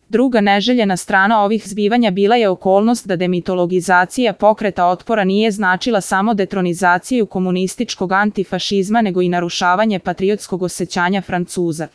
Druga neželjena strana ovih zbivanja bila je okolnost da demitologizacija pokreta otpora nije značila samo detronizaciju komunističkog antifašizma nego i narušavanje patriotskog osjećanja Francuza.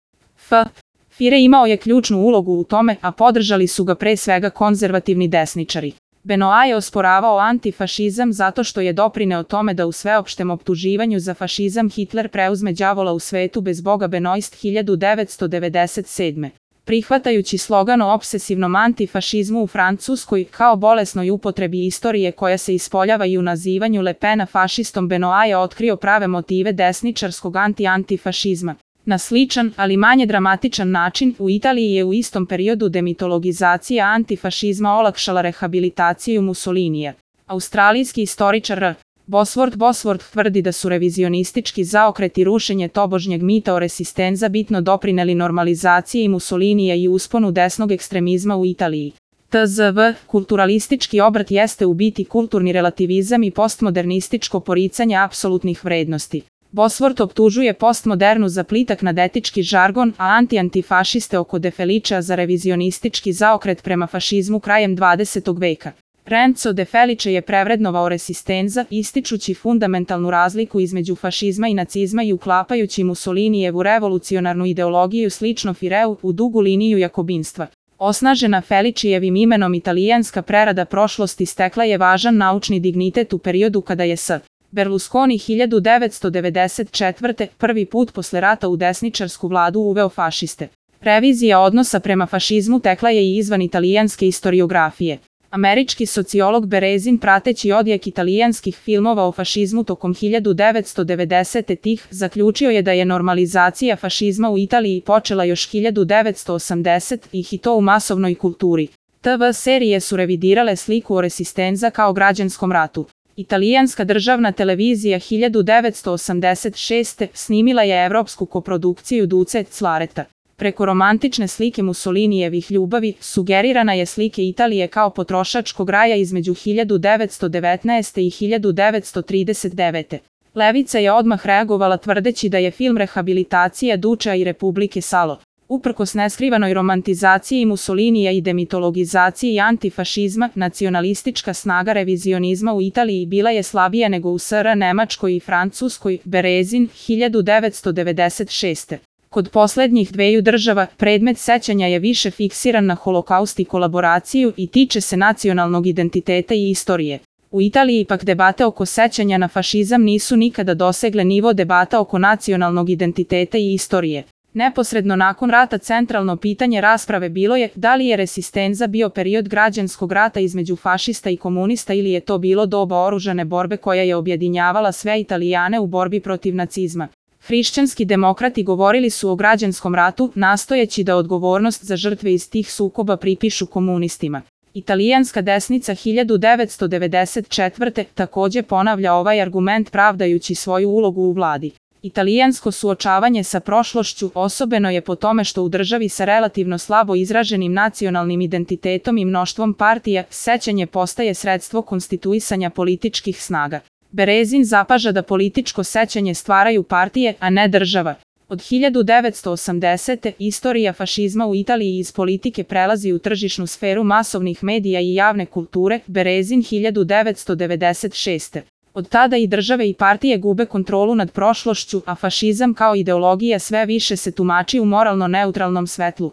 Führer imao je ključnu ulogu u tome, a podržali su ga pre svega konzervativni desničari. Benoit je osporavao antifašizam zato što je doprineo tome da u sveopštem optuživanju za fašizam Hitler preuzme đavola u svetu bez Boga Benoist 1997. Prihvatajući slogan o obsesivnom antifašizmu u Francuskoj kao bolesnoj upotrebi istorije koja se ispoljava i u nazivanju Le Pena fašistom, Benoit je otkrio prave motive desničarskog antifašizma. Na sličan, ali manje dramatičan način, u Italiji je u istom periodu demitologizacija antifašizma olakšala rehabilitaciju Mussolinija. Australijski istoričar R. Bosworth tvrdi da su revizionistički zaokret i rušenje tobožnjeg mita o resistenza bitno doprineli normalizaciji Mussolinija i usponu desnog ekstremizma u Italiji. tzv. Kulturalistički obrat jeste u biti kulturni relativizam i postmodernističko poricanje apsolutnih vrednosti. Bosworth optužuje postmodernu za plitak nadetički žargon, a antifašiste oko De Feličea za revizionistički zaokret prema fašizmu krajem 20. veka. Renzo De Felice je prevrednovao resistenza, ističući fundamentalnu razliku između fašizma i nacizma i uklapajući Mussolinijevu revolucionarnu ideologiju slično Führeu u dugu liniju jakobinstva. Osnažena Felicijevim imenom italijanska prerada prošlosti stekla je važan naučni dignitet u periodu kada je S. Berlusconi 1994. prvi put posle rata u desničarsku vladu uveo fašiste. Revizija odnosa prema fašizmu tekla je i izvan italijanske istoriografije. Američki sociolog Berezin, prateći odjek italijanskih filmova o fašizmu tokom 1990-ih, zaključio je da je normalizacija fašizma u Italiji počela još 1980-ih i to u masovnoj kulturi. TV serije su revidirale sliku o resistenza kao građanskom ratu. Italijanska državna televizija 1986. snimila je evropsku koprodukciju Duce Clareta. Preko romantične slike Mussolinijevih ljubavi, sugerirana je slike Italije kao potrošačkog raja između 1919. i 1939. Levica je odmah reagovala tvrdeći da je film rehabilitacija Dučea i Republike Salo. Uprkos neskrivanoj romantizaciji Mussolinija i demitologizaciji antifašizma, nacionalistička snaga revizionizma u Italiji bila je slabija nego u SR Nemačkoj i Francuskoj. Berezin 1996. Kod poslednjih dveju država, predmet sećanja je više fiksiran na holokaust i kolaboraciju i tiče se nacionalnog identiteta i istorije. U Italiji pak debate oko sećanja na fašizam nisu nikada dosegle nivo debata oko nacionalnog identiteta i istorije. Neposredno nakon rata centralno pitanje rasprave bilo je da li je resistenza bio period građanskog rata između fašista i komunista ili je to bilo doba oružane borbe koja je objedinjavala sve Italijane u borbi protiv nacizma. Hrišćanski demokrati govorili su o građanskom ratu, nastojeći da odgovornost za žrtve iz tih sukoba pripišu komunistima. Italijanska desnica 1994. takođe ponavlja ovaj argument pravdajući svoju ulogu u vladi. Italijansko suočavanje sa prošlošću osobeno je po tome što u državi sa relativno slabo izraženim nacionalnim identitetom i mnoštvom partija, sećanje postaje sredstvo konstituisanja političkih snaga. Berezin zapaža da političko sećanje stvaraju partije, a ne država. Od 1980. istorija fašizma u Italiji iz politike prelazi u tržišnu sferu masovnih medija i javne kulture. Berezin 1996. Od tada i države i partije gube kontrolu nad prošlošću, a fašizam kao ideologija sve više se tumači u moralno neutralnom svetlu.